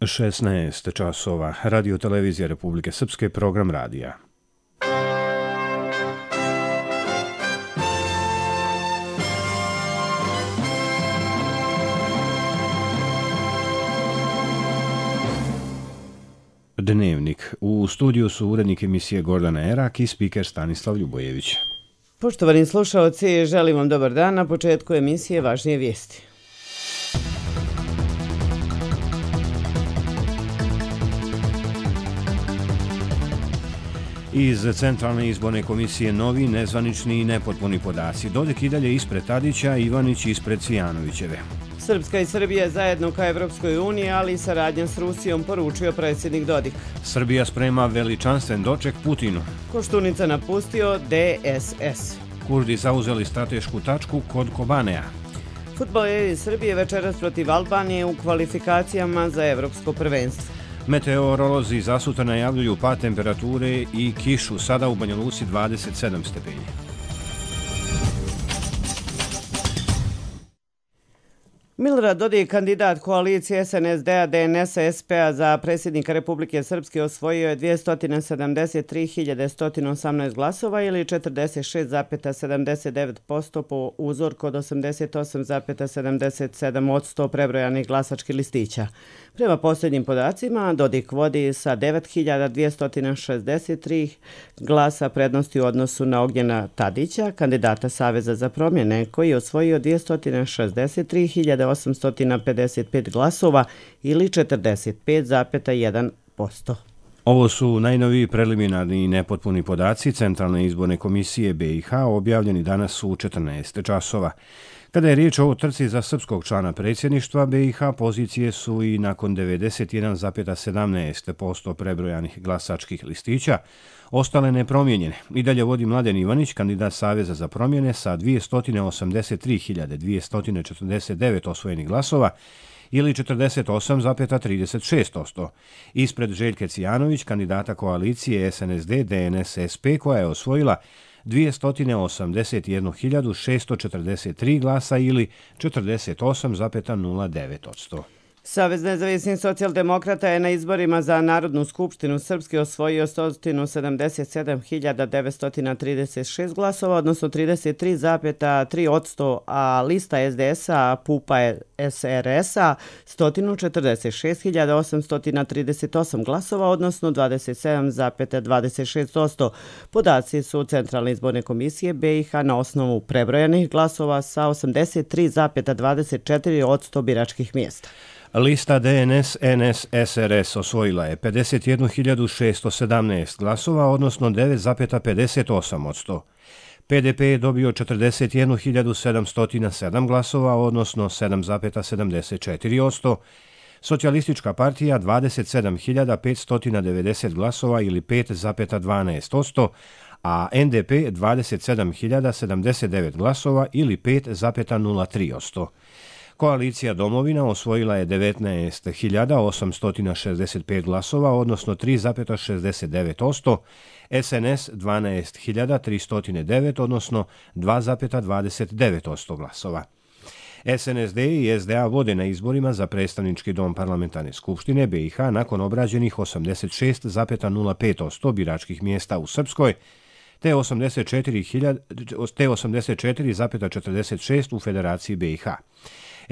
16 časova. Radio televizija Republike Srpske, program radija. Dnevnik. U studiju su urednik emisije Gordana Erak i spiker Stanislav Ljubojević. Poštovani slušaoci, želim vam dobar dan. Na početku emisije važnije vijesti. Iz Centralne izborne komisije novi, nezvanični i nepotpuni podaci. Dodik i dalje ispred Tadića, Ivanić ispred Cvijanovićeve. Srpska i Srbija zajedno ka Evropskoj uniji, ali i saradnja s Rusijom, poručio predsjednik Dodik. Srbija sprema veličanstven doček Putinu. Koštunica napustio DSS. Kurdi zauzeli stratešku tačku kod Kobanea. Fudbaleri Srbije večeras protiv Albanije u kvalifikacijama za evropsko prvenstvo. Meteorolozi za sutra najavljuju pad temperature i kišu, sada u Banja Luci 27 stepeni. Milorad Dodik, kandidat koalicije SNSD-a, DNS-a, SP-a za predsjednika Republike Srpske, osvojio je 273.118 glasova ili 46,79% po uzorku od 88,77% prebrojanih glasačkih listića. Prema posljednjim podacima, Dodik vodi sa 9.263 glasa prednosti u odnosu na Ognjena Tadića, kandidata Saveza za promjene, koji je osvojio 263.855 glasova ili 45,1%. Ovo su najnoviji preliminarni i nepotpuni podaci Centralne izborne komisije BiH objavljeni danas u 14 časova. Kada je riječ o trci za srpskog člana predsjedništva BiH, pozicije su i nakon 91,17% prebrojanih glasačkih listića ostale nepromijenjene. I dalje vodi Mladen Ivanić, kandidat Saveza za promjene, sa 283.249 osvojenih glasova ili 48,36%. Ispred Željke Cvijanović, kandidata koalicije SNSD DNS-SP, koja je osvojila 281.643 glasa ili 48,09%. Savez nezavisnih socijaldemokrata je na izborima za Narodnu skupštinu Srpske osvojio 177.936 glasova, odnosno 33,3%, a lista SDS-a PUPA SRS-a 146.838 glasova, odnosno 27,26%. Podaci su Centralne izborne komisije BiH na osnovu prebrojanih glasova sa 83,24% biračkih mjesta. Lista DNS-NS-SRS osvojila je 51.617 glasova, odnosno 9,58%. PDP je dobio 41.707 glasova, odnosno 7,74%. Socijalistička partija 27.590 glasova ili 5,12%, a NDP 27.079 glasova ili 5,03%. Koalicija Domovina osvojila je 19.865 glasova, odnosno 3,69%, SNS 12.309, odnosno 2,29% glasova. SNSD i SDA vode na izborima za predstavnički dom parlamentarne skupštine BiH nakon obrađenih 86,05% biračkih mjesta u Srpskoj, te 84,46% u Federaciji BiH.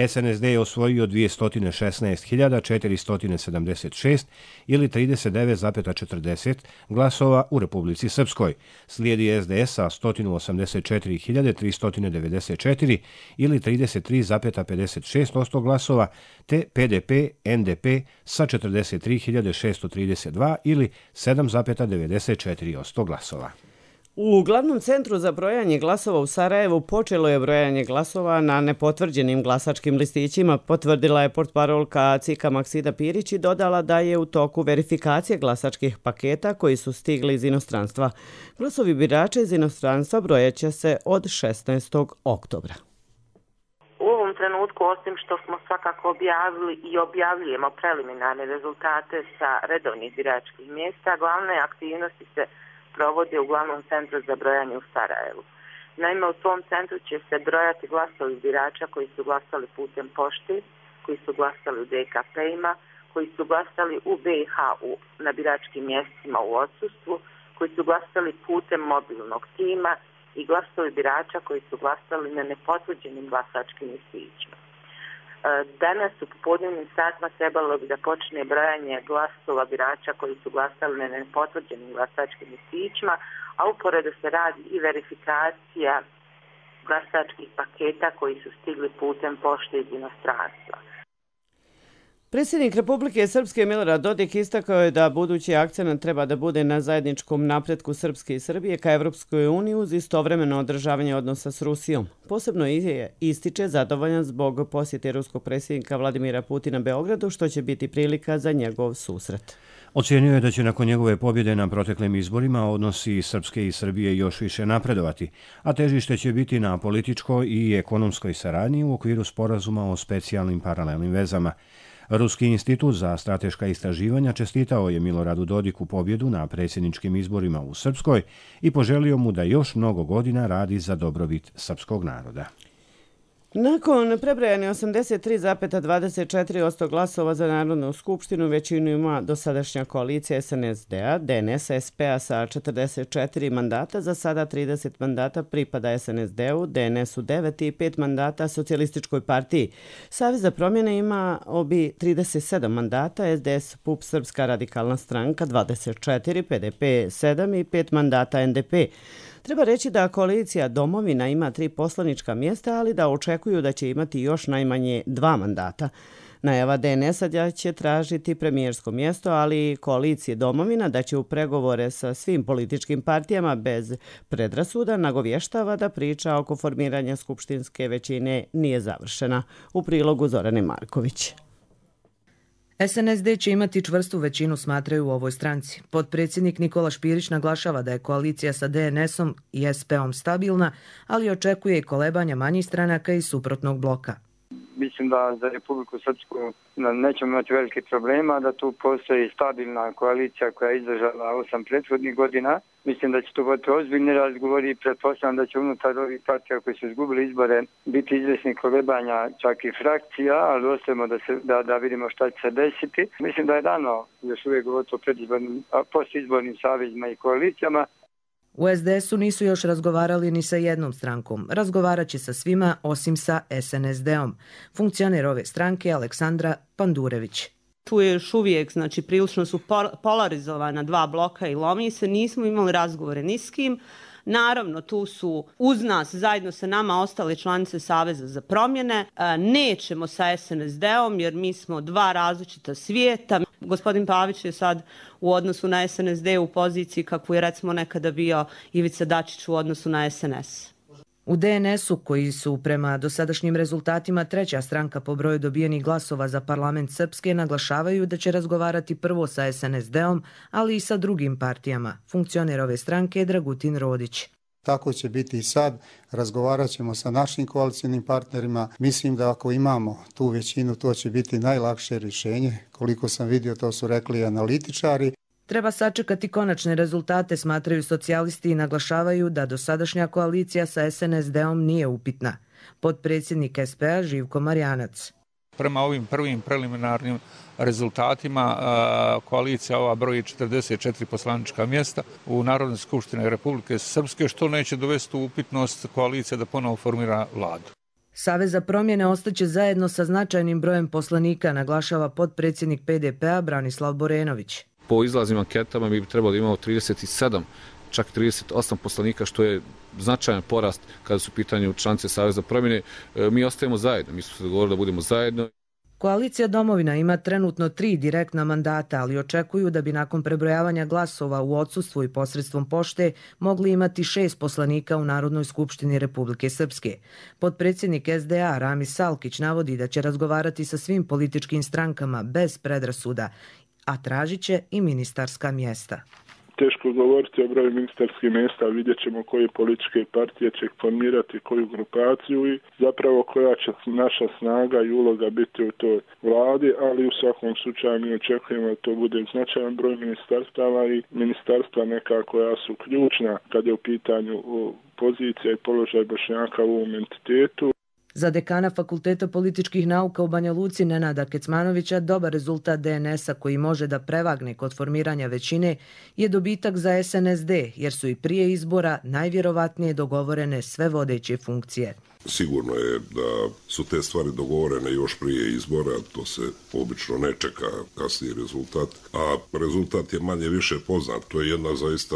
SNSD je osvojio 216.476 ili 39,40 glasova u Republici Srpskoj. Slijedi SDS sa 184.394 ili 33,56% glasova, te PDP NDP sa 43.632 ili 7,94% glasova. U glavnom centru za brojanje glasova u Sarajevu počelo je brojanje glasova na nepotvrđenim glasačkim listićima, potvrdila je portparolka CIK-a Maksida Pirić i dodala da je u toku verifikacije glasačkih paketa koji su stigli iz inostranstva. Glasovi birača iz inostranstva brojaće se od 16. oktobra. U ovom trenutku, osim što smo svakako objavili i objavljujemo preliminarne rezultate sa redovnih biračkih mjesta, glavne aktivnosti se provodi u glavnom centru za brojanje u Sarajevu. Naime, u tom centru će se brojati glasovi birača koji su glasali putem pošti, koji su glasali u DKP-ima, koji su glasali u BiH na biračkim mjestima u odsustvu, koji su glasali putem mobilnog tima i glasovi birača koji su glasali na nepotvrđenim glasačkim listićima. Danas u popodnevnim satima trebalo bi da počne brojanje glasova birača koji su glasali na nepotvrđenim glasačkim listićima, a uporedo se radi i verifikacija glasačkih paketa koji su stigli putem pošte iz inostranstva. Predsjednik Republike Srpske Milorad Dodik istakao je da budući akcenat treba da bude na zajedničkom napretku Srpske i Srbije ka Evropskoj uniji uz istovremeno održavanje odnosa s Rusijom. Posebno ističe zadovoljan zbog posjete ruskog predsjednika Vladimira Putina Beogradu, što će biti prilika za njegov susret. Ocijenio je da će nakon njegove pobjede na proteklim izborima odnosi Srpske i Srbije još više napredovati, a težište će biti na političkoj i ekonomskoj saradnji u okviru sporazuma o specijalnim paralelnim vezama. Ruski institut za strateška istraživanja čestitao je Miloradu Dodiku pobjedu na predsjedničkim izborima u Srpskoj i poželio mu da još mnogo godina radi za dobrobit srpskog naroda. Nakon prebrojane 83,24% glasova za Narodnu skupštinu, većinu ima dosadašnja koalicija SNSD-a, DNS-a sa 44 mandata, za sada 30 mandata pripada SNSD-u, DNS-u 9 i 5 mandata Socijalističkoj partiji. Savez za promjene ima 37 mandata, SDS, PUP, Srpska radikalna stranka 24, PDP 7 i 5 mandata NDP. Treba reći da koalicija Domovina ima 3 poslanička mjesta, ali da očekuju da će imati još najmanje 2 mandata. Najava DNS-a da će tražiti premijersko mjesto, ali koalicije Domovina da će u pregovore sa svim političkim partijama bez predrasuda nagovještava da priča oko formiranja skupštinske većine nije završena. U prilogu Zorane Marković. SNSD će imati čvrstu većinu, smatraju u ovoj stranci. Potpredsjednik Nikola Špirić naglašava da je koalicija sa DNS-om i SP-om stabilna, ali očekuje i kolebanja manjih stranaka i suprotnog bloka. Mislim da za Republiku Srpsku nećemo imati velike problema, da tu postoji stabilna koalicija koja je izdržala 8 prethodnih godina. Mislim da će tu biti ozbiljni razgovori i pretpostavljam da će unutar ovih partija koji su izgubili izbore biti izvjesni kolebanja, čak i frakcija, ali ostajemo da vidimo šta će se desiti. Mislim da je dano još uvijek govoriti o postizbornim savezima i koalicijama. U SDS-u nisu još razgovarali ni sa jednom strankom. Razgovarat će sa svima osim sa SNSD-om. Funkcioner ove stranke Aleksandra Pandurević. Tu je još uvijek, prilično su polarizovana 2 bloka i lomi se, nismo imali razgovore ni s kim. Naravno, tu su uz nas, zajedno sa nama, ostale članice Saveza za promjene. Nećemo sa SNSD-om jer mi smo 2 različita svijeta. Gospodin Pavić je sad u odnosu na SNSD u poziciji kakvu je recimo nekada bio Ivica Dačić u odnosu na SNS. U DNS-u, koji su prema dosadašnjim rezultatima 3. stranka po broju dobijenih glasova za parlament Srpske, naglašavaju da će razgovarati prvo sa SNSD-om, ali i sa drugim partijama. Funkcioner ove stranke je Dragutin Rodić. Tako će biti i sad, razgovarat ćemo sa našim koalicijnim partnerima. Mislim da ako imamo tu većinu, to će biti najlakše rješenje. Koliko sam vidio, to su rekli analitičari. Treba sačekati konačne rezultate, smatraju socijalisti i naglašavaju da dosadašnja koalicija sa SNSD-om nije upitna. Potpredsjednik SP-a Živko Marjanac. Prema ovim prvim preliminarnim rezultatima koalicija ova broji 44 poslanička mjesta u Narodnoj skupštini Republike Srpske, što neće dovesti u upitnost koalicija da ponovo formira vladu. Savez za promjene ostaće zajedno sa značajnim brojem poslanika, naglašava potpredsjednik PDP-a Branislav Borenović. Po izlaznim anketama mi bi trebali imati 37, čak 38 poslanika, što je značajan porast kada su u pitanju članice Saveza za promjene. Mi ostajemo zajedno, mi smo se dogovorili da budemo zajedno. Koalicija Domovina ima trenutno 3 direktna mandata, ali očekuju da bi nakon prebrojavanja glasova u odsustvu i posredstvom pošte mogli imati 6 poslanika u Narodnoj skupštini Republike Srpske. Potpredsjednik SDA Ramis Salkić navodi da će razgovarati sa svim političkim strankama bez predrasuda, a tražit će i ministarska mjesta. Teško govoriti o broju ministarskih mjesta, vidjet ćemo koje političke partije će formirati koju grupaciju i zapravo koja će naša snaga i uloga biti u toj vladi, ali u svakom slučaju mi očekujemo da to bude značajan broj ministarstava i ministarstva neka koja su ključna kad je u pitanju pozicija i položaj Bošnjaka u ovom entitetu. Za dekana Fakulteta političkih nauka u Banja Luci Nenada Kecmanovića dobar rezultat DNS-a koji može da prevagne kod formiranja većine je dobitak za SNSD, jer su i prije izbora najvjerovatnije dogovorene sve vodeće funkcije. Sigurno je da su te stvari dogovorene još prije izbora, to se obično ne čeka kasniji rezultat, a rezultat je manje više poznat. To je jedna zaista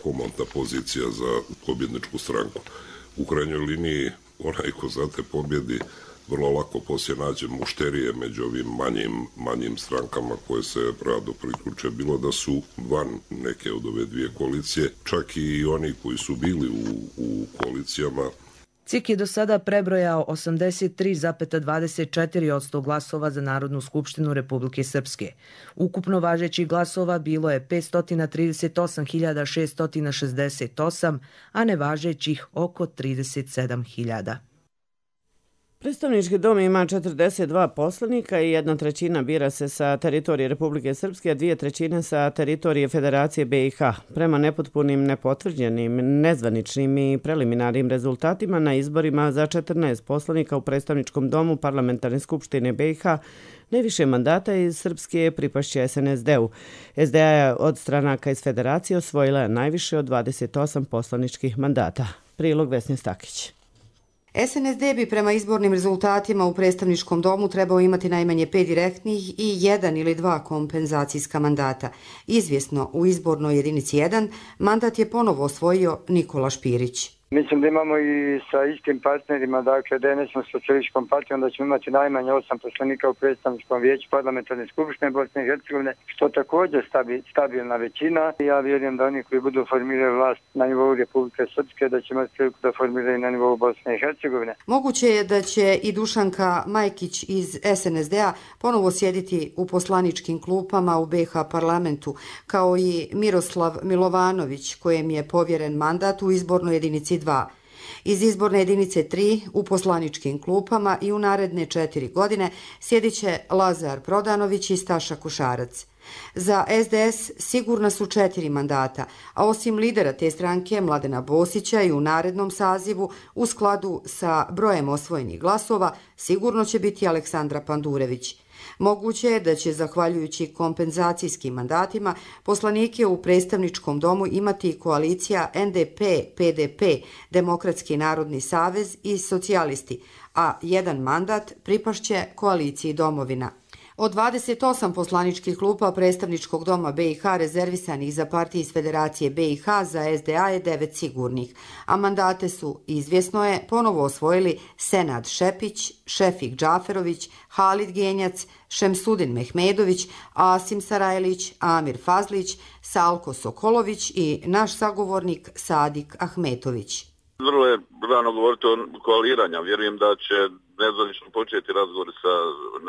komodna pozicija za pobjedničku stranku. U krajnjoj liniji onaj ko za te pobjedi vrlo lako poslije nađe mušterije među ovim manjim strankama koje se rado priključe, bilo da su van neke od ove dvije koalicije, čak i oni koji su bili u koalicijama. CIK je do sada prebrojao 83,24% glasova za Narodnu skupštinu Republike Srpske. Ukupno važećih glasova bilo je 538.668, a nevažećih oko 37.000. Predstavnički dom ima 42 poslanika i 1/3 bira se sa teritorije Republike Srpske, a 2/3 sa teritorije Federacije BiH. Prema nepotpunim, nepotvrđenim, nezvaničnim i preliminarnim rezultatima na izborima za 14 poslanika u Predstavničkom domu Parlamentarne skupštine BiH, najviše mandata iz Srpske pripašće SNSD-u. SDA je od stranaka iz Federacije osvojila najviše od 28 poslaničkih mandata. Prilog Vesne Stakić. SNSD bi prema izbornim rezultatima u predstavničkom domu trebao imati najmanje 5 direktnih i 1 ili 2 kompenzacijska mandata. Izvjesno, u izbornoj jedinici 1 mandat je ponovo osvojio Nikola Špirić. Mislim da imamo i sa istim partnerima, dakle DNS-om socijalističkom partijom, da ćemo imati najmanje 8 poslanika u predstavničkom vijeću Parlamentarne skupštine Bosne i Hercegovine, što također stabilna većina. Ja vjerujem da oni koji budu formirali vlast na nivou Republike Srpske, da će imati priliku da formiraju na nivou Bosne i Hercegovine. Moguće je da će i Dušanka Majkić iz SNSD-a ponovo sjediti u poslaničkim klupama u BiH parlamentu, kao i Miroslav Milovanović, kojem je povjeren mandat u izbornoj jedinici 2. Iz izborne jedinice 3 u poslaničkim klupama i u naredne 4 godine sjedit će Lazar Prodanović i Staša Košarac. Za SDS sigurna su 4 mandata, a osim lidera te stranke Mladena Bosića i u narednom sazivu u skladu sa brojem osvojenih glasova sigurno će biti Aleksandra Pandurević. Moguće je da će, zahvaljujući kompenzacijskim mandatima, poslanike u predstavničkom domu imati koalicija NDP-PDP, Demokratski narodni savez i socijalisti, a 1 mandat pripašće koaliciji Domovina. Od 28 poslaničkih klupa predstavničkog doma BiH rezervisanih za partije iz Federacije BiH za SDA je 9 sigurnih, a mandate su, izvjesno je, ponovo osvojili Senad Šepić, Šefik Džaferović, Halid Genjac, Šemsudin Mehmedović, Asim Sarajlić, Amir Fazlić, Salko Sokolović i naš sagovornik Sadik Ahmetović. Vrlo je rano govoriti o koaliranja. Vjerujem da će nezvanično početi razgovori sa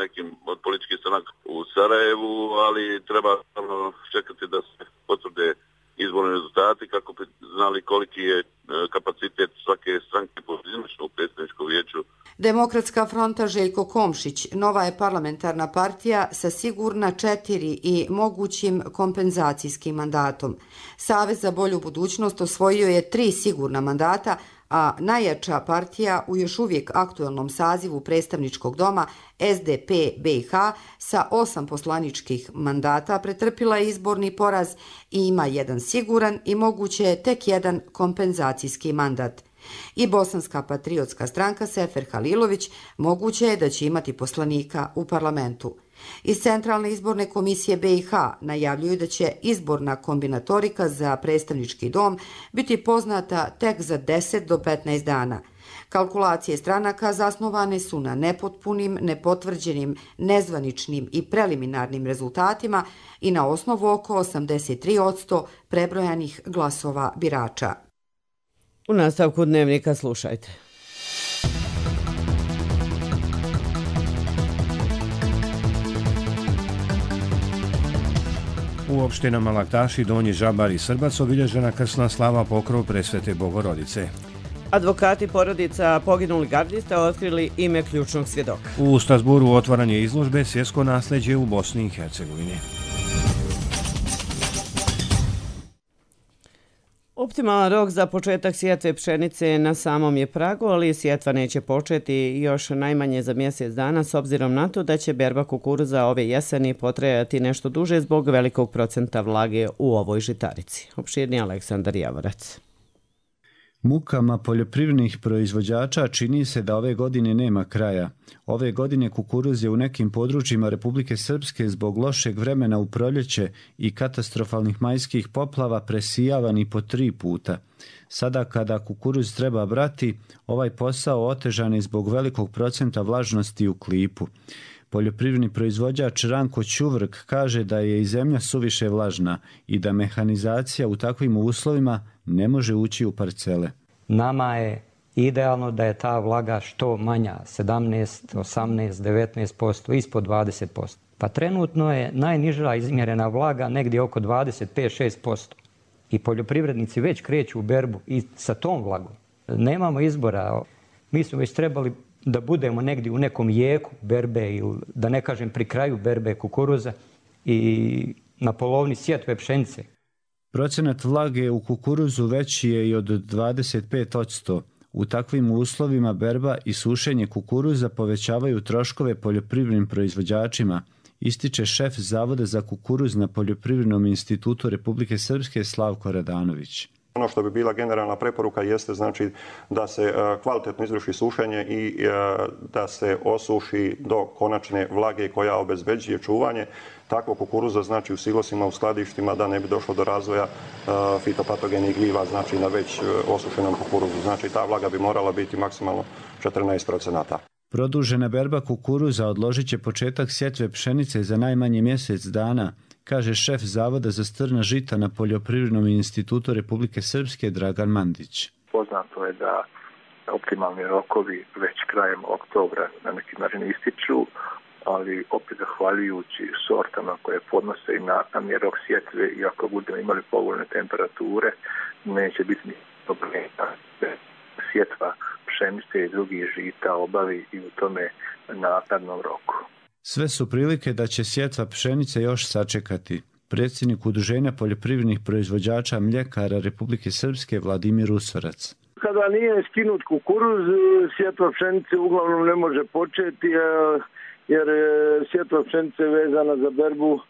nekim od političkih stranaka u Sarajevu, ali treba čekati da se potvrde izborni rezultati kako bi znali koliki je kapacitet svake stranke pojedinačno u predstavničkom vijeću. Demokratska fronta Željko Komšić nova je parlamentarna partija sa sigurna 4 i mogućim kompenzacijskim mandatom. Savez za bolju budućnost osvojio je 3 sigurna mandata, a najjača partija u još uvijek aktuelnom sazivu predstavničkog doma SDP BiH sa 8 poslaničkih mandata pretrpila je izborni poraz i ima 1 siguran i moguće tek 1 kompenzacijski mandat. I Bosanska patriotska stranka Sefer Halilović moguće je da će imati poslanika u parlamentu. Iz Centralne izborne komisije BiH najavljuju da će izborna kombinatorika za predstavnički dom biti poznata tek za 10 do 15 dana. Kalkulacije stranaka zasnovane su na nepotpunim, nepotvrđenim, nezvaničnim i preliminarnim rezultatima i na osnovu oko 83% prebrojanih glasova birača. U nastavku dnevnika slušajte. U opštinama Laktaši, Donji Žabar i Srbac obilježena krsna slava pokrov Presvete Bogorodice. Advokati porodica poginulih gardista otkrili ime ključnog svjedoka. U Strasburu otvaranje izložbe Svjetsko nasljeđe u Bosni i Hercegovini. Optimalan rok za početak sjetve pšenice na samom je pragu, ali sjetva neće početi još najmanje za mjesec dana s obzirom na to da će berba kukuruza ove jeseni potrajati nešto duže zbog velikog procenta vlage u ovoj žitarici. Opširni Aleksandar Javorac. Mukama poljoprivrednih proizvođača čini se da ove godine nema kraja. Ove godine kukuruz je u nekim područjima Republike Srpske zbog lošeg vremena u proljeće i katastrofalnih majskih poplava presijavan i po 3 puta. Sada kada kukuruz treba brati, ovaj posao otežan je zbog velikog procenta vlažnosti u klipu. Poljoprivredni proizvođač Ranko Ćuvrk kaže da je i zemlja suviše vlažna i da mehanizacija u takvim uslovima ne može ući u parcele. Nama je idealno da je ta vlaga što manja, 17, 18, 19%, ispod 20%. Pa trenutno je najniža izmjerena vlaga negdje oko 25-6%. I poljoprivrednici već kreću u berbu i sa tom vlagom. Nemamo izbora. Mi smo već trebali da budemo negdje u nekom jeku berbe ili da ne kažem pri kraju berbe kukuruza i na polovini sjetve pšenice. Procenat vlage u kukuruzu veći je i od 25%. U takvim uslovima berba i sušenje kukuruza povećavaju troškove poljoprivrednim proizvođačima, ističe šef Zavoda za kukuruz na Poljoprivrednom institutu Republike Srpske Slavko Radanović. Ono što bi bila generalna preporuka jeste znači da se kvalitetno izvrši sušenje i da se osuši do konačne vlage koja obezbeđuje čuvanje takvog kukuruza znači u silosima, u skladištima da ne bi došlo do razvoja fitopatogenih gljiva znači na već osušenom kukuruzu. Znači ta vlaga bi morala biti maksimalno 14%. Produžena berba kukuruza odložit će početak sjetve pšenice za najmanje mjesec dana, kaže šef Zavoda za strna žita na Poljoprivrednom institutu Republike Srpske Dragan Mandić. Poznato je da optimalni rokovi već krajem oktobra na neki način ističu, ali opet zahvaljujući sortama koje podnose i natamni rok sjetve i ako budemo imali povoljne temperature, neće biti ni problema. Sjetva pšenice i drugih žita obavi i u tome naknadnom roku. Sve su prilike da će sjetva pšenice još sačekati. Predsjednik Udruženja poljoprivrednih proizvođača mljekara Republike Srpske Vladimir Usorac. Kada nije skinut kukuruz, sjetva pšenice uglavnom ne može početi, jer sjetva pšenice je vezana za berbu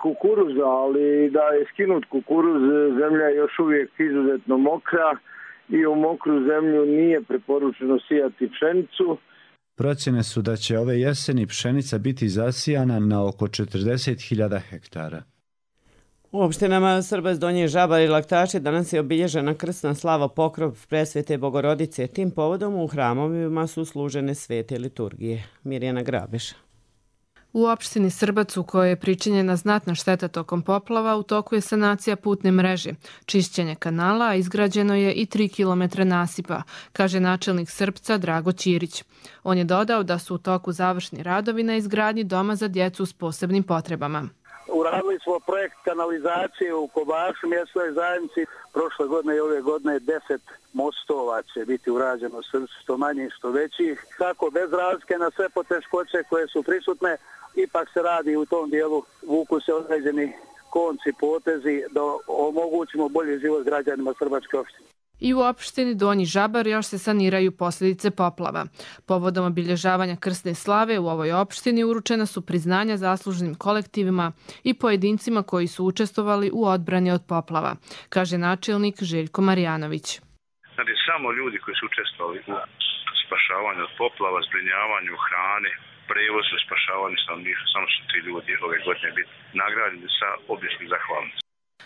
kukuruza, ali da je skinut kukuruz, zemlja je još uvijek izuzetno mokra i u mokru zemlju nije preporučeno sijati pšenicu. Procjene su da će ove jeseni pšenica biti zasijana na oko 40.000 hektara. U opštinama Srbas, Donji Žabar i Laktaši danas je obilježena krsna slava Pokrov Presvete Bogorodice. Tim povodom u hramovima su služene svete liturgije. Mirjana Grabeša. U opštini Srbac, u kojoj je pričinjena znatna šteta tokom poplava, u toku je sanacija putne mreže, čišćenje kanala, a izgrađeno je i 3 km nasipa, kaže načelnik Srpca Drago Ćirić. On je dodao da su u toku završni radovi na izgradnji doma za djecu s posebnim potrebama. Uradili smo projekt kanalizacije u Kobašu, mjesnoj zajednici. Prošle godine i ove godine 10 mostova će biti urađeno, što manjih, što većih. Tako, bez razlike na sve poteškoće koje su prisutne, ipak se radi u tom dijelu, vuku se određeni konci, potezi da omogućimo bolji život građanima Srbačke opštine. I u opštini Donji Žabar još se saniraju posljedice poplava. Povodom obilježavanja krsne slave u ovoj opštini uručena su priznanja zaslužnim kolektivima i pojedincima koji su učestvovali u odbrani od poplava, kaže načelnik Željko Marjanović. Znači, samo ljudi koji su učestvovali u spašavanju od poplava, zbrinjavanju hrane, prevozu, spašavanju stanovništva, samo su ti ljudi ove godine biti nagrađeni sa običnim zahvalnicom.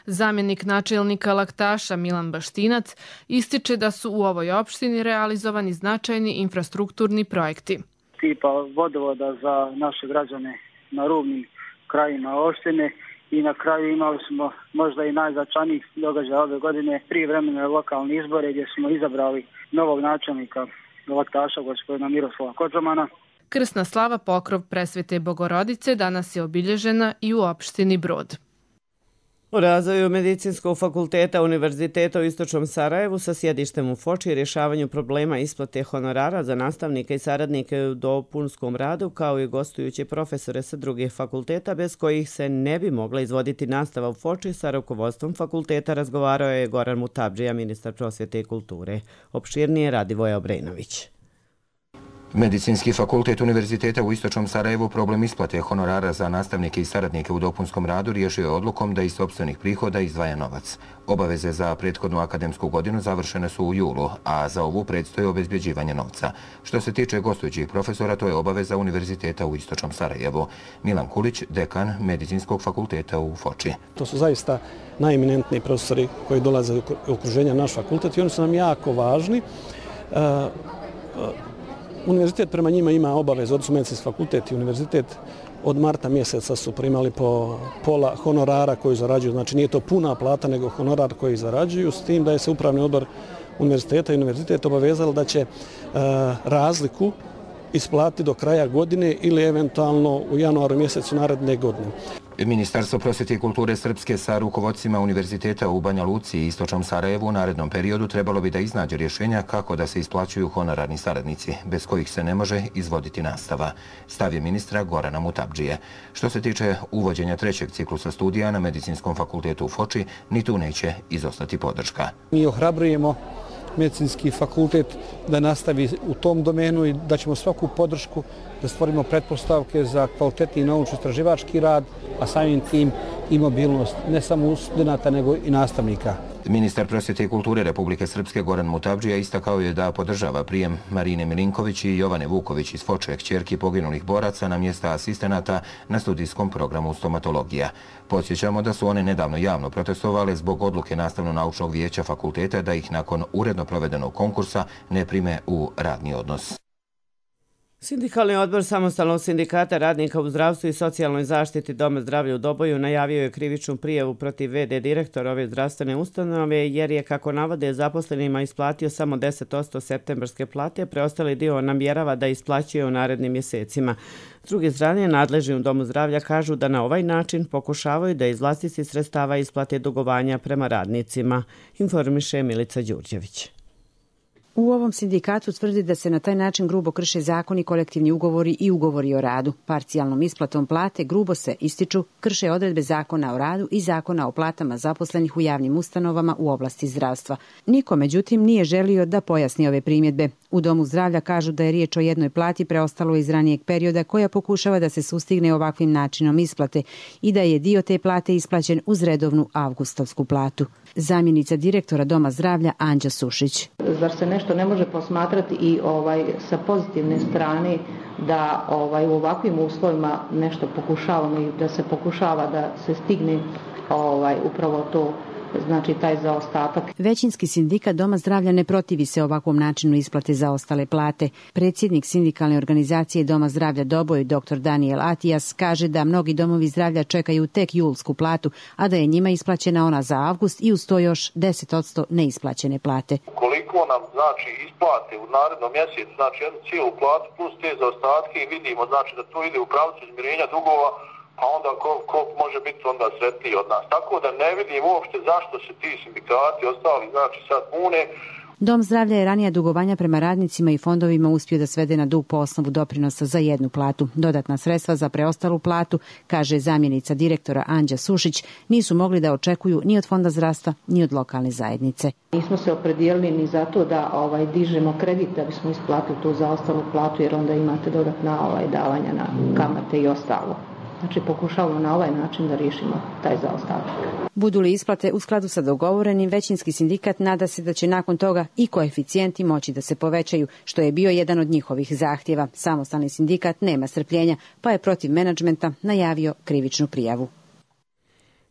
Zamjenik načelnika Laktaša Milan Baštinac ističe da su u ovoj opštini realizovani značajni infrastrukturni projekti. Tipa vodovoda za naše građane na rubnim krajima opštine i na kraju imali smo možda i najznačajnijih događaja ove godine, prijevremene lokalne izbore gdje smo izabrali novog načelnika Laktaša, gospodina Miroslava Kodžomana. Krsna slava Pokrov Presvete Bogorodice danas je obilježena i u opštini Brod. O razvoju Medicinskog fakulteta Univerziteta u Istočnom Sarajevu sa sjedištem u Foči i rješavanju problema isplate honorara za nastavnike i saradnike u dopunskom radu, kao i gostujuće profesore sa drugih fakulteta bez kojih se ne bi mogla izvoditi nastava u Foči, sa rukovodstvom fakulteta razgovarao je Goran Mutabdžija, ministar prosvjete i kulture. Opširnije Radivoje Obrenović. Medicinski fakultet Univerziteta u Istočnom Sarajevu problem isplate honorara za nastavnike i saradnike u dopunskom radu riješio je odlukom da iz sopstvenih prihoda izdvaja novac. Obaveze za prethodnu akademsku godinu završene su u julu, a za ovu predstoji obezbjeđivanje novca. Što se tiče gostujućih profesora, to je obaveza Univerziteta u Istočnom Sarajevu. Milan Kulić, dekan Medicinskog fakulteta u Foči. To su zaista najeminentniji profesori koji dolaze u okruženja naš fakultet i oni su nam jako važni. Univerzitet prema njima ima obaveze, odnosno Medicinski fakultet i univerzitet od marta mjeseca su primali po pola honorara koji zarađuju. Znači nije to puna plata, nego honorar koji zarađuju, s tim da je se upravni odbor univerziteta i univerzitet obavezali da će razliku isplatiti do kraja godine ili eventualno u januaru mjesecu naredne godine. Ministarstvo prosvjete i kulture Srpske sa rukovodstvima univerziteta u Banja Luci i Istočnom Sarajevu u narednom periodu trebalo bi da iznađe rješenja kako da se isplaćuju honorarni saradnici, bez kojih se ne može izvoditi nastava. Stav je ministra Gorana Mutabdžije. Što se tiče uvođenja trećeg ciklusa studija na Medicinskom fakultetu u Foči, ni tu neće izostati podrška. Mi ohrabrujemo Medicinski fakultet da nastavi u tom domenu i da ćemo svaku podršku da stvorimo pretpostavke za kvalitetni naučno-istraživački rad, a samim tim i mobilnost ne samo studenta nego i nastavnika. Ministar prosvjete i kulture Republike Srpske Goran Mutabdžija istakao je da podržava prijem Marine Milinković i Jovane Vuković iz Foče, kćerki poginulih boraca, na mjesta asistenata na studijskom programu stomatologija. Podsjećamo da su one nedavno javno protestovale zbog odluke Nastavno-naučnog vijeća fakulteta da ih nakon uredno provedenog konkursa ne prime u radni odnos. Sindikalni odbor Samostalnog sindikata radnika u zdravstvu i socijalnoj zaštiti Doma zdravlja u Doboju najavio je krivičnu prijavu protiv VD direktora ove zdravstvene ustanove jer je, kako navode, zaposlenima isplatio samo 10% septembarske plate, preostali dio namjerava da isplaćuje u narednim mjesecima. S druge strane, nadležni u Domu zdravlja kažu da na ovaj način pokušavaju da iz vlastitih sredstava isplate dugovanja prema radnicima, informiše Milica Đurđević. U ovom sindikatu tvrdi da se na taj način grubo krše zakoni, kolektivni ugovori i ugovori o radu. Parcijalnom isplatom plate grubo se, ističu, krše odredbe zakona o radu i zakona o platama zaposlenih u javnim ustanovama u oblasti zdravstva. Niko, međutim, nije želio da pojasni ove primjedbe. U Domu zdravlja kažu da je riječ o jednoj plati preostalo iz ranijeg perioda koja pokušava da se sustigne ovakvim načinom isplate i da je dio te plate isplaćen uz redovnu avgustovsku platu. Zamjenica direktora Doma zdravlja Anđa Sušić. Zar se nešto ne može posmatrati i sa pozitivne strane da u ovakvim uslovima nešto pokušavamo i da se pokušava da se stigne upravo to, znači taj zaostatak. Većinski sindikat Doma zdravlja ne protivi se ovakvom načinu isplate zaostale plate. Predsjednik sindikalne organizacije Doma zdravlja Doboj, dr. Daniel Atijas, kaže da mnogi domovi zdravlja čekaju tek julsku platu, a da je njima isplaćena ona za avgust i uz to još 10% neisplaćene plate. Koliko nam znači isplate u narednom mjesecu, znači jednu cijelu platu plus te zaostatke i vidimo znači da to ide u pravcu izmirenja dugova, a onda ko može biti onda sretniji od nas. Tako da ne vidim uopšte zašto se ti sindikati ostali znači sad bune. Dom zdravlja je ranija dugovanja prema radnicima i fondovima uspio da svede na dug po osnovu doprinosa za jednu platu. Dodatna sredstva za preostalu platu, kaže zamjenica direktora Anđa Sušić, nisu mogli da očekuju ni od Fonda zdravstva, ni od lokalne zajednice. Nismo se opredijelili ni za to da dižemo kredit da bismo isplatili tu zaostalu platu, jer onda imate dodatna davanja na kamate i ostalo. Znači pokušavamo na ovaj način da riješimo taj zaostatak. Budu li isplate u skladu sa dogovorenim, većinski sindikat nada se da će nakon toga i koeficijenti moći da se povećaju, što je bio jedan od njihovih zahtjeva. Samostalni sindikat nema strpljenja, pa je protiv menadžmenta najavio krivičnu prijavu.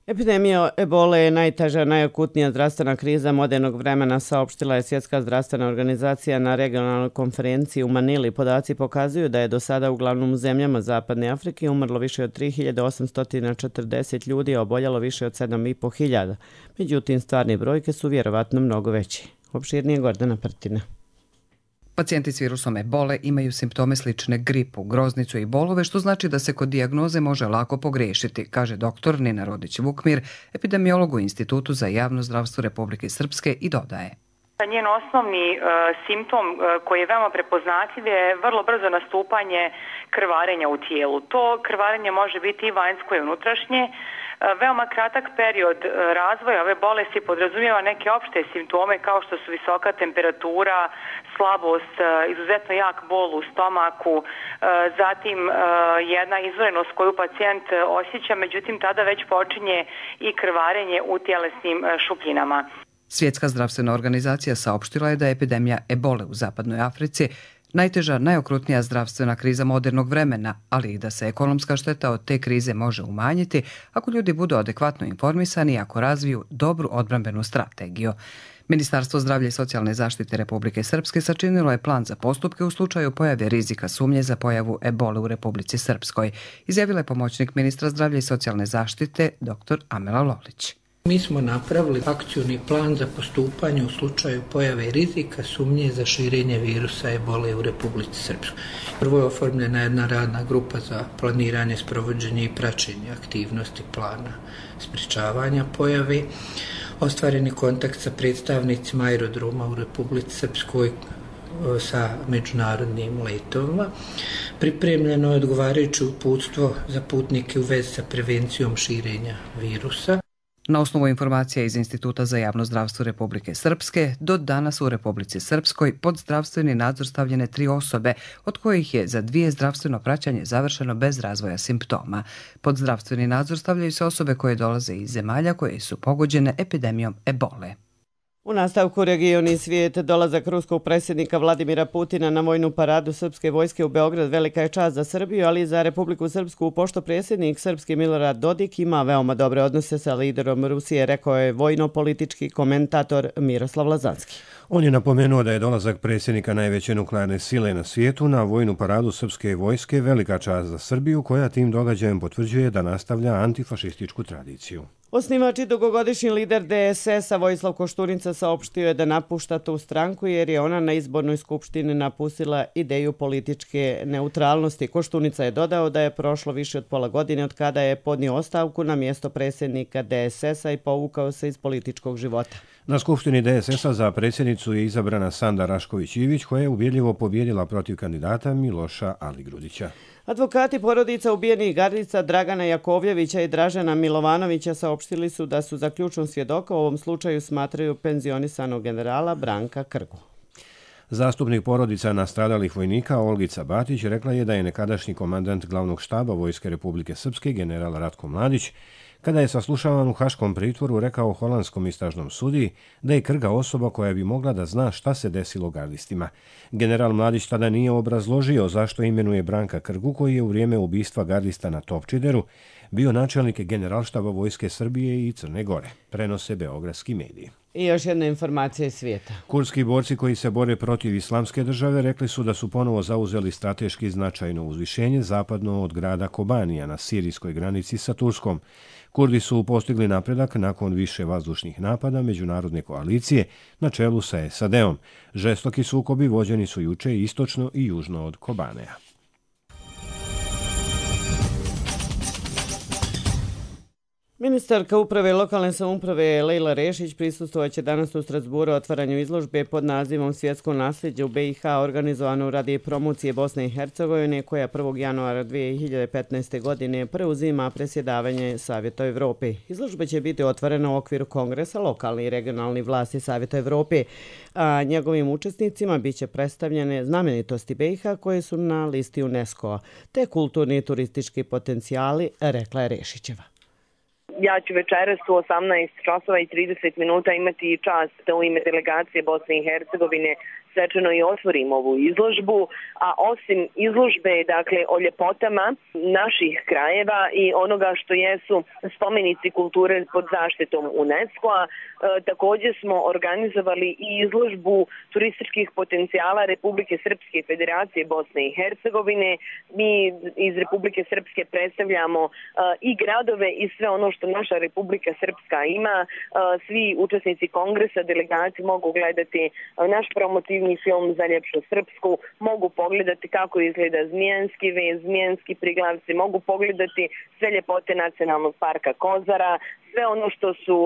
Epidemija ebole je najteža, najakutnija zdravstvena kriza modernog vremena, saopštila je Svjetska zdravstvena organizacija na regionalnoj konferenciji u Manili. Podaci pokazuju da je do sada uglavnom u zemljama Zapadne Afrike umrlo više od 3840 ljudi, a oboljelo više od 7500. Međutim, stvarne brojke su vjerovatno mnogo veći. Opširnije Gordana Prtina. Pacijenti s virusom ebole imaju simptome slične gripu, groznicu i bolove, što znači da se kod dijagnoze može lako pogriješiti, kaže dr. Nina Rodić-Vukmir, epidemiolog u Institutu za javno zdravstvo Republike Srpske i dodaje. Njen osnovni simptom koji je veoma prepoznatljiv je vrlo brzo nastupanje krvarenja u tijelu. To krvarenje može biti i vanjsko i unutrašnje. Veoma kratak period razvoja ove bolesti podrazumijeva neke opšte simptome kao što su visoka temperatura, slabost, izuzetno jak bol u stomaku, zatim jedna izvorenost koju pacijent osjeća, međutim tada već počinje i krvarenje u tjelesnim šupljinama. Svjetska zdravstvena organizacija saopštila je da je epidemija ebole u zapadnoj Africi najteža, najokrutnija zdravstvena kriza modernog vremena, ali i da se ekonomska šteta od te krize može umanjiti ako ljudi budu adekvatno informisani i ako razviju dobru odbrambenu strategiju. Ministarstvo zdravlja i socijalne zaštite Republike Srpske sačinilo je plan za postupke u slučaju pojave rizika sumnje za pojavu ebole u Republici Srpskoj, izjavila je pomoćnik ministra zdravlja i socijalne zaštite dr. Amela Lolić. Mi smo napravili akcioni plan za postupanje u slučaju pojave rizika sumnje za širenje virusa ebole u Republici Srpskoj. Prvo je oformljena jedna radna grupa za planiranje, sprovođenje i praćenje aktivnosti plana sprečavanja pojave. Ostvareni kontakt sa predstavnicima aerodroma u Republici Srpskoj sa međunarodnim letovima. Pripremljeno je odgovarajuće uputstvo za putnike u vezi sa prevencijom širenja virusa. Na osnovu informacija iz Instituta za javno zdravstvo Republike Srpske, do danas u Republici Srpskoj pod zdravstveni nadzor stavljene 3 osobe, od kojih je za 2 zdravstveno praćanje završeno bez razvoja simptoma. Pod zdravstveni nadzor stavljaju se osobe koje dolaze iz zemalja koje su pogođene epidemijom ebole. U nastavku region i svijet, dolazak ruskog predsjednika Vladimira Putina na vojnu paradu srpske vojske u Beograd velika je čast za Srbiju, ali i za Republiku Srpsku, pošto predsjednik srpski Milorad Dodik ima veoma dobre odnose sa liderom Rusije, rekao je vojno-politički komentator Miroslav Lazanski. On je napomenuo da je dolazak predsjednika najveće nuklearne sile na svijetu na vojnu paradu srpske vojske velika čast za Srbiju, koja tim događajem potvrđuje da nastavlja antifašističku tradiciju. Osnivač i dugogodišnji lider DSS-a Vojislav Koštunica saopštio je da napušta tu stranku jer je ona na izbornoj skupštini napustila ideju političke neutralnosti. Koštunica je dodao da je prošlo više od pola godine od kada je podnio ostavku na mjesto predsjednika DSS-a i povukao se iz političkog života. Na skupštini DSS-a za predsjednicu je izabrana Sanda Rašković-Ivić, koja je ubjedljivo pobjedila protiv kandidata Miloša Aligrudića. Advokati porodica ubijenih gardica Dragana Jakovljevića i Dražena Milovanovića saopštili su da su za ključnog svjedoka u ovom slučaju smatraju penzionisanog generala Branka Krgu. Zastupnik porodica nastradalih vojnika Olgica Batić rekla je da je nekadašnji komandant glavnog štaba Vojske Republike Srpske general Ratko Mladić, kada je saslušavan u haškom pritvoru, rekao holandskom istražnom sudiji da je Krga osoba koja bi mogla da zna šta se desilo gardistima. General Mladić tada nije obrazložio zašto imenuje Branka Krgu, koji je u vrijeme ubistva gardista na Topčideru bio načelnik generalštaba Vojske Srbije i Crne Gore, prenose beogradski mediji. I još jedna informacija iz svijeta. Kurdski borci koji se bore protiv islamske države rekli su da su ponovo zauzeli strateški značajno uzvišenje zapadno od grada Kobanija na sirijskoj granici sa Turskom. Kurdi su postigli napredak nakon više vazdušnih napada međunarodne koalicije na čelu sa SAD-om. Žestoki sukobi vođeni su juče istočno i južno od Kobaneja. Ministarka uprave i lokalne samouprave Lejla Rešić prisustvovaće danas u Strasburu otvaranju izložbe pod nazivom Svjetsko nasljeđe u BiH, organizovano radi promocije Bosne i Hercegovine, koja 1. januara 2015. godine preuzima predsjedavanje Savjeta Evrope. Izložba će biti otvorena u okviru kongresa lokalne i regionalne vlasti Savjeta Evrope, a njegovim učesnicima biće predstavljene znamenitosti BiH koje su na listi UNESCO-a, te kulturni i turistički potencijali, rekla je Rešićeva. Ja ću večeras u 18 časova i 30 minuta imati čast da u ime delegacije Bosne i Hercegovine svečano i otvorim ovu izložbu, a osim izložbe, dakle, o ljepotama naših krajeva i onoga što jesu spomenici kulture pod zaštitom UNESCO-a, također smo organizovali i izložbu turističkih potencijala Republike Srpske i Federacije Bosne i Hercegovine. Mi iz Republike Srpske predstavljamo i gradove i sve ono što naša Republika Srpska ima. Svi učesnici kongresa, delegaci mogu gledati naš promotiv posljednji film za ljepšu srpsku, mogu pogledati kako izgleda Zmijanski vez, Zmijanski priglavci, mogu pogledati sve ljepote nacionalnog parka Kozara, sve ono što su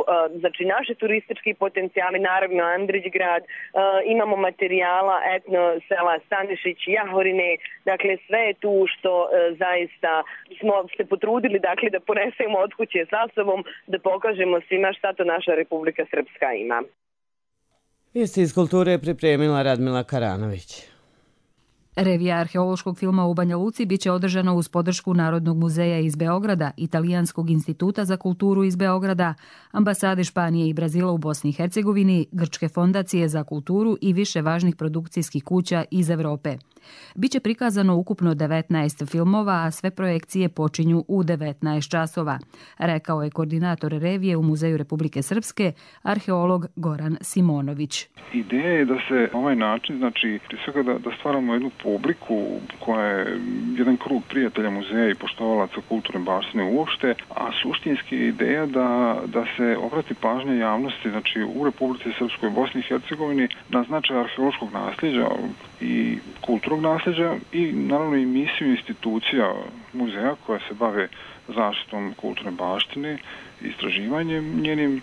znači naši turistički potencijali, naravno Andrićgrad, imamo materijala etno sela Stanišić, Jahorine, dakle sve je tu što zaista smo se potrudili dakle da ponesemo od kuće sa sobom, da pokažemo svima šta to naša Republika Srpska ima. Vijesti iz kulture je pripremila Radmila Karanović. Revija arheološkog filma u Banja Luci biće održana uz podršku Narodnog muzeja iz Beograda, Italijanskog instituta za kulturu iz Beograda, ambasade Španije i Brazila u Bosni i Hercegovini, Grčke fondacije za kulturu i više važnih produkcijskih kuća iz Evrope. Biće prikazano ukupno 19 filmova, a sve projekcije počinju u 19 časova, rekao je koordinator revije u Muzeju Republike Srpske, arheolog Goran Simonović. Ideja je da se ovaj način, znači prije svega da stvaramo jednu publiku koja je jedan krug prijatelja muzeja i poštovalaca kulturne baštine uopšte, a suštinski je ideja da se obrati pažnja javnosti, znači u Republici Srpskoj, Bosni i Hercegovini, na značaj arheološkog nasljeđa i kulturnog nasljeđa i naravno i misiju institucija muzeja koja se bave zaštitom kulturne baštine, istraživanjem njenim.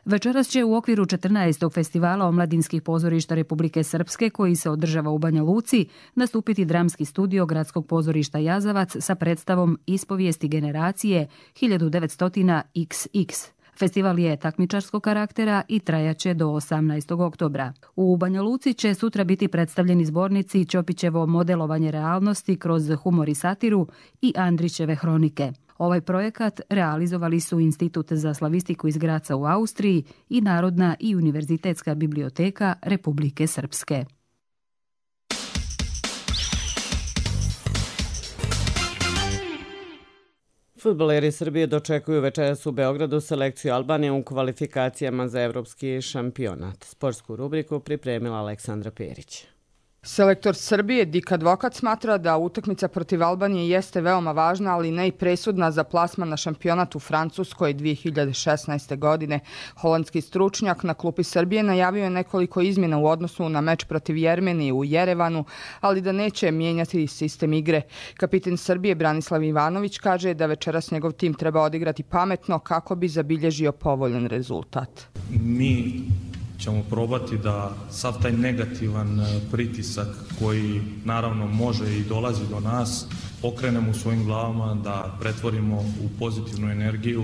Večeras će u okviru 14. festivala omladinskih pozorišta Republike Srpske, koji se održava u Banja Luci, nastupiti dramski studio Gradskog pozorišta Jazavac sa predstavom Ispovijesti generacije 1900XX. Festival je takmičarskog karaktera i trajaće do 18. oktobra. U Banja Luci će sutra biti predstavljeni zbornici Ćopićevo modelovanje realnosti kroz humor i satiru i Andrićeve hronike. Ovaj projekat realizovali su Institut za slavistiku iz Graca u Austriji i Narodna i univerzitetska biblioteka Republike Srpske. Fudbaleri Srbije dočekuju večeras u Beogradu selekciju Albanije u kvalifikacijama za evropski šampionat. Sportsku rubriku pripremila Aleksandra Perić. Selektor Srbije Dik Advokat smatra da utakmica protiv Albanije jeste veoma važna, ali ne i presudna za plasman na šampionat u Francuskoj 2016. godine. Holandski stručnjak na klupi Srbije najavio je nekoliko izmjena u odnosu na meč protiv Jermenije u Jerevanu, ali da neće mijenjati sistem igre. Kapitan Srbije Branislav Ivanović kaže da večeras njegov tim treba odigrati pametno kako bi zabilježio povoljan rezultat. Mi ćemo probati da sav taj negativan pritisak koji naravno može i dolazi do nas okrenemo u svojim glavama, da pretvorimo u pozitivnu energiju,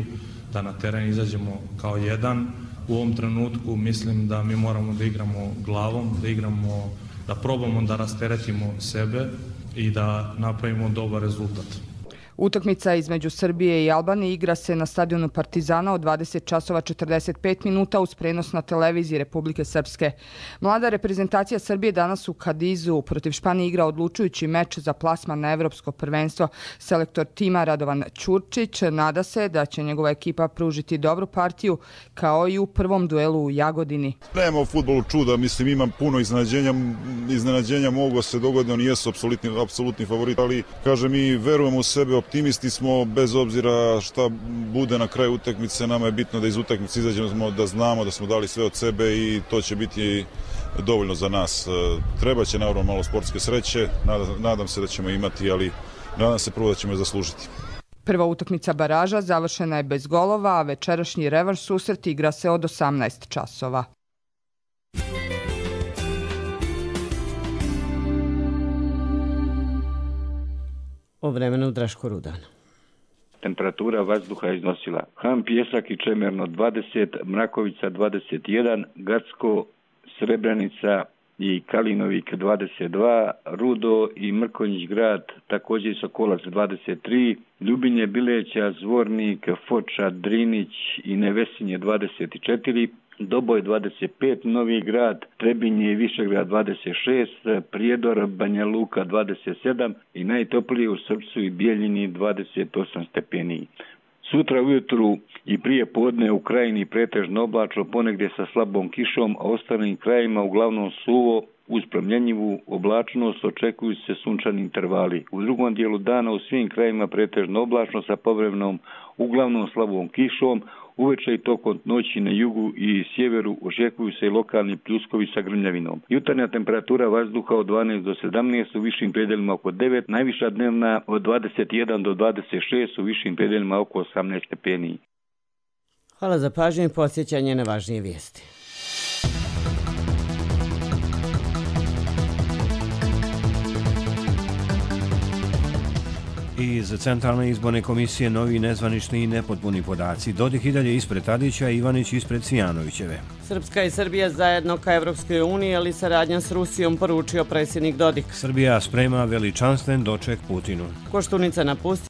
da na teren izađemo kao jedan. U ovom trenutku mislim da mi moramo da igramo glavom, da probamo da rasteretimo sebe i da napravimo dobar rezultat. Utakmica između Srbije i Albanije igra se na stadionu Partizana od 20 časova 45 minuta uz prenos na televiziji Republike Srpske. Mlada reprezentacija Srbije danas u Kadizu protiv Španije igra odlučujući meč za plasman na evropsko prvenstvo. Selektor tima Radovan Ćurčić nada se da će njegova ekipa pružiti dobru partiju kao i u prvom duelu u Jagodini. Nema u fudbalu čuda, mislim imam puno iznenađenja mogu se dogoditi, oni jesu apsolutni favorit, ali kažem mi verujemo u sebe, optimisti smo, bez obzira šta bude na kraju utakmice, nama je bitno da iz utakmice izađemo, da znamo da smo dali sve od sebe i to će biti dovoljno za nas. Treba će naravno malo sportske sreće, nadam se da ćemo imati, ali nadam se prvo da ćemo je zaslužiti. Prva utakmica baraža završena je bez golova, a večerašnji revanš susret igra se od 18 časova. O vremenu Draško Rudan. Temperatura vazduha iznosila Ham, Pjesak i Čemerno 20, Mrakovica 21, Gacko, Srebrenica i Kalinovik 22, Rudo i Mrkonjić grad, također Sokolac 23, Ljubinje, Bileća, Zvornik, Foča, Drinić i Nevesinje 24, Doboj 25, Novi grad, Trebinje i Višegrad 26, Prijedor, Banja Luka 27 i najtoplije u Srpcu i Bijeljini 28 stepeni. Sutra ujutru i prije podne u krajini pretežno oblačno, ponegdje sa slabom kišom, a ostalim krajima uglavnom suvo Uz promjenjivu oblačnost očekuju se sunčani intervali. U drugom dijelu dana u svim krajevima pretežno oblačno sa povremenom uglavnom slabom kišom. Uveče i tokom noći na jugu i sjeveru očekuju se i lokalni pljuskovi sa grmljavinom. Jutarnja temperatura vazduha od 12 do 17, u višim predelima oko 9, najviša dnevna od 21 do 26, u višim predelima oko 18 stepeni. Hvala za pažnju i podsjećanje na važnije vijesti. Iz Centralne izborne komisije novi nezvanični i nepotpuni podaci. Dodik i dalje ispred Tadića, Ivanić ispred Cvijanovićeve. Srpska i Srbija zajedno ka Evropskoj uniji, ali saradnja s Rusijom, poručio predsjednik Dodik. Srbija sprema veličanstven doček Putinu. Koštunica napustio